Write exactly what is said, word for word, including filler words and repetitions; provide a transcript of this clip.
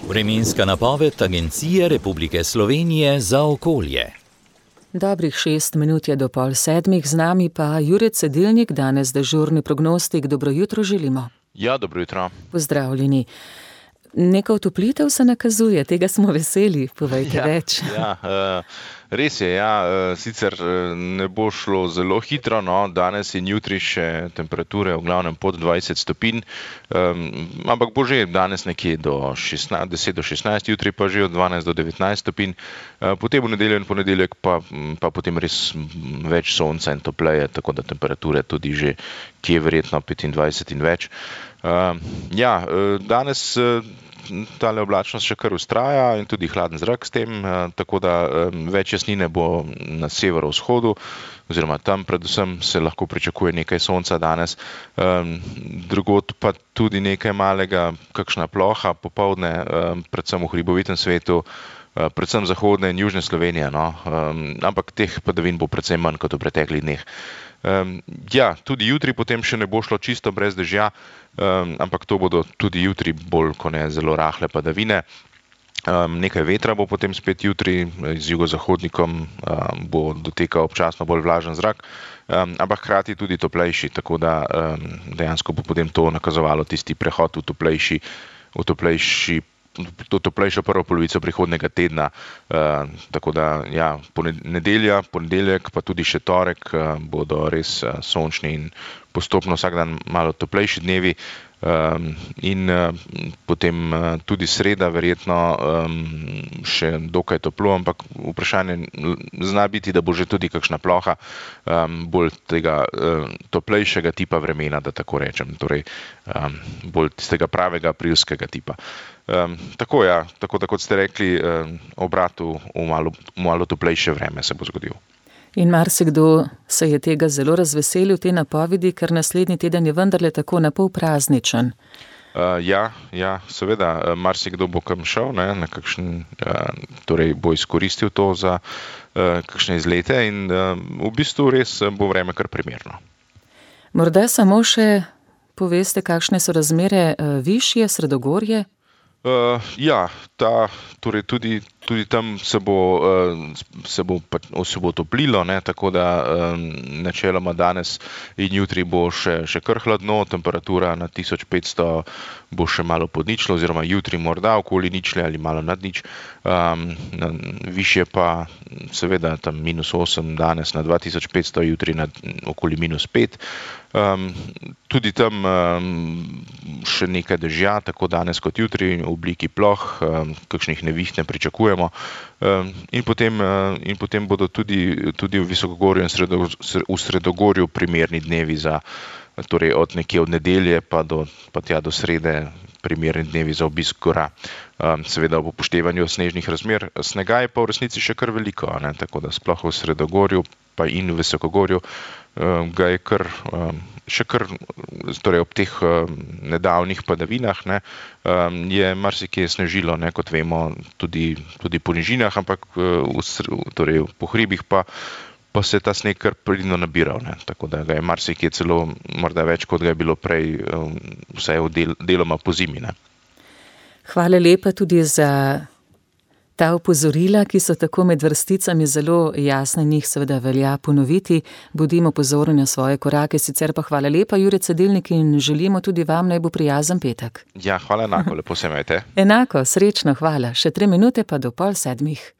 Vremenska napoved Agencije Republike Slovenije za okolje. Dobrih šest minut je do pol sedmih, z nami pa Jure Cedilnik, danes dežurni prognostik. Dobro jutro želimo. Ja, dobro jutro. Pozdravljeni. Neka otoplitev se nakazuje, tega smo veseli, povejte ja, več. Ja, res je, ja, sicer ne bo šlo zelo hitro, no, danes in jutri še temperature v glavnem pod dvajset stopinj, ampak bo že danes nekje do šestnajst, deset do šestnajst, jutri pa že od dvanajst do devetnajst stopinj, potem v nedeljo in ponedeljek pa, pa potem res več sonca in topleje, tako da temperature tudi že kje verjetno petindvajset in več. Ja, danes tale oblačnost še kar vztraja in tudi hladen zrak s tem, tako da več jasnine bo na severovzhodu, oziroma tam predvsem se lahko pričakuje nekaj sonca danes, drugod pa tudi nekaj malega, kakšna ploha popoldne, predvsem v hribovitem svetu, predvsem zahodne in južne Slovenije, no, ampak teh padavin bo precej manj kot v preteklih dneh. Ja, tudi jutri potem še ne bo šlo čisto brez dežja, ampak to bodo tudi jutri bolj kot ne zelo rahle padavine. Nekaj vetra bo potem spet jutri, z jugozahodnikom bo dotekal občasno bolj vlažen zrak, ampak hkrati tudi toplejši, tako da dejansko bo potem to nakazovalo tisti prehod v toplejši, v toplejši to toplejšo prvo polovico prihodnega tedna, tako da ja, nedelja, ponedeljek pa tudi še torek bodo res sončni in postopno vsak dan malo toplejši dnevi, in potem tudi sreda verjetno še dokaj toplo, ampak vprašanje zna biti, da bo že tudi kakšna ploha bolj tega toplejšega tipa vremena, da tako rečem, torej bolj tistega pravega aprilskega tipa. Tako ja, tako da kot ste rekli, obrat v malo, malo toplejše vreme se bo zgodil. In marsikdo se je tega zelo razveselil, te napovedi, ker naslednji teden je vendarle tako napol prazničen. Uh, ja, ja, seveda, marsikdo bo kam šel, ne, na kakšen, uh, torej bo izkoristil to za uh, kakšne izlete in uh, v bistvu res bo vreme kar primerno. Morda samo še poveste, kakšne so razmere uh, višje, sredogorje? Uh, ja, ta, torej tudi, tudi tam se bo, uh, se bo, se bo toplilo, ne, tako da um, načeloma danes in jutri bo še, še kar hladno, temperatura na tisoč petsto bo še malo pod ničlo, oziroma jutri morda okoli ničle ali malo nad nič, um, višje pa seveda tam minus osem, danes na dva tisoč petsto, jutri na okoli minus pet. Um, tudi tam um, še nekaj dežja, tako danes kot jutri, v obliki ploh, um, kakšnih neviht ne pričakujemo, um, in, potem, uh, in potem bodo tudi, tudi v Visokogorju in sredo, v Sredogorju primerni dnevi za, torej od nekje od nedelje pa do, pa tja do srede, primerni dnevi za obisk gora. Um, seveda ob upoštevanju snežnih razmer. Snega je pa v resnici še kar veliko, ne, tako da sploh v Sredogorju pa in v Visokogorju um, ga je kar, um, še kar, torej ob teh um, nedavnih padavinah, ne, um, je marsikje snežilo, ne, kot vemo, tudi, tudi po nižinah, ampak uh, v, torej po hribih pa pa se je ta sneg kar pridno nabiral, ne, tako da ga je marsikje celo morda več, kot ga je bilo prej, um, vsaj v del, deloma po zimi, ne. Hvala lepa tudi za ta opozorila, ki so tako med vrsticami zelo jasne, njih seveda velja ponoviti. Bodimo pozorni na svoje korake, sicer pa hvala lepa, Jure Cedilnik, in želimo tudi vam naj bo prijazen petek. Ja, hvala enako, lepo se imejte. Enako, srečno, hvala. Še tri minute pa do pol sedmih.